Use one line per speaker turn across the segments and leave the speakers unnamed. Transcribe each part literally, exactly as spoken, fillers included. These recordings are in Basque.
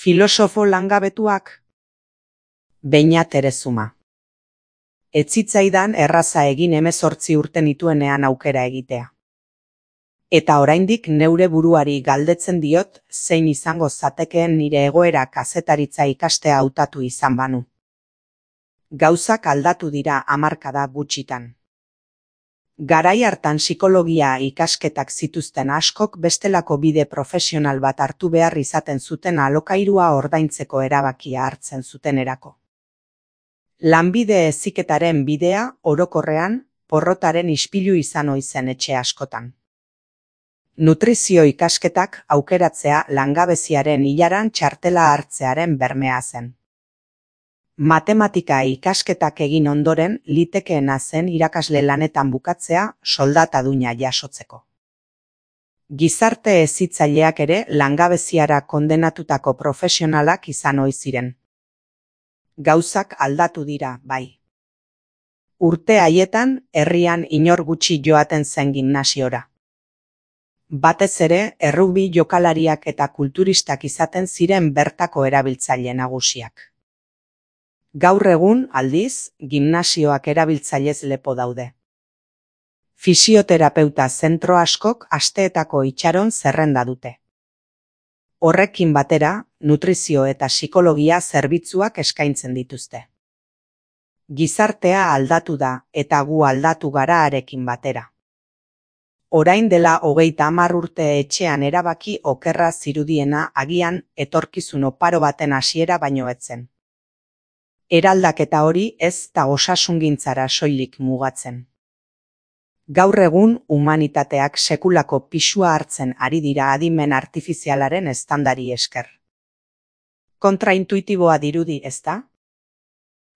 Filosofo langabetuak? Beñat Erezuma. Ez zitzaidan erraza egin hemezortzi urte nituenean aukera egitea. Eta oraindik neure buruari galdetzen diot zein izango zatekeen nire egoera kazetaritza ikastea hautatu izan banu. Gauzak aldatu dira hamarkada gutxitan. Garai hartan psikologia ikasketak zituzten askok bestelako bide profesional bat hartu behar izaten zuten alokairua ordaintzeko erabakia hartzen zutenerako. Lanbide heziketaren bidea, orokorrean, porrotaren ispilu izan ohi zen etxe askotan. Nutrizio ikasketak aukeratzea langabeziaren ilaran txartela hartzearen bermea zen. Matematika ikasketak egin ondoren litekeena zen irakasle lanetan bukatzea soldataduna jasotzeko. Gizarte hezitzaileak ere langabeziara kondenatutako profesionalak izan ohi ziren. Gauzak aldatu dira, bai. Urte haietan herrian inor gutxi joaten zen gimnasiora. Batez ere, errugbi jokalariak eta kulturistak izaten ziren bertako erabiltzaile nagusiak. Gaur egun, aldiz, gimnasioak erabiltzailez lepo daude. Fisioterapeuta zentro askok asteetako itxaron zerrenda dute. Horrekin batera, nutrizio eta psikologia zerbitzuak eskaintzen dituzte. Gizartea aldatu da eta gu aldatu gara harekin batera. Orain dela hogeita hamar urte etxean erabaki okerra zirudiena agian etorkizun oparo baten hasiera baino ez zen. Eraldaketa hori ez da osasungintzara soilik mugatzen. Gaur egun humanitateak sekulako pisua hartzen ari dira adimen artifizialaren eztandari esker. Kontraintuitiboa dirudi, ezta?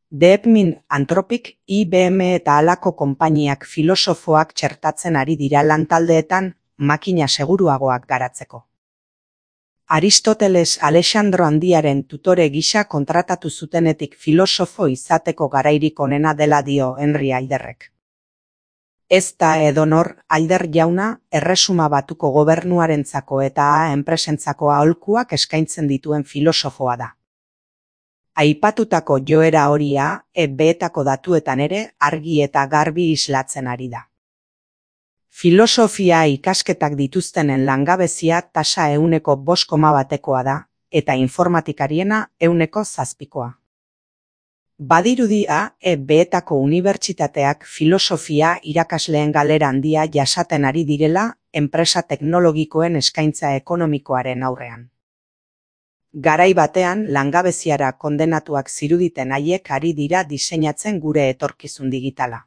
Deepmin, Anthropic, I B M eta halako konpainiak filosofoak txertatzen ari dira lantaldeetan makina seguruagoak garatzeko. Aristoteles Alexandro Handiaren tutore gisa kontratatu zutenetik filosofo izateko garairik onena dela dio Henry Alderrek. Ez da edonor Alder jauna Erresuma Batuko gobernuarentzako eta enpresentzako aholkuak eskaintzen dituen filosofoa da. Aipatutako joera horia E B-etako datuetan ere argi eta garbi islatzen ari da. Filosofia ikasketak dituztenen langabezia tasa ehuneko bost koma batekoa da, eta informatikariena ehuneko zazpikoa. Badirudi A E B-etako unibertsitateak filosofia irakasleen galera handia jasaten ari direla enpresa teknologikoen eskaintza ekonomikoaren aurrean. Garai batean langabeziara kondenatuak ziruditen haiek ari dira diseinatzen gure etorkizun digitala.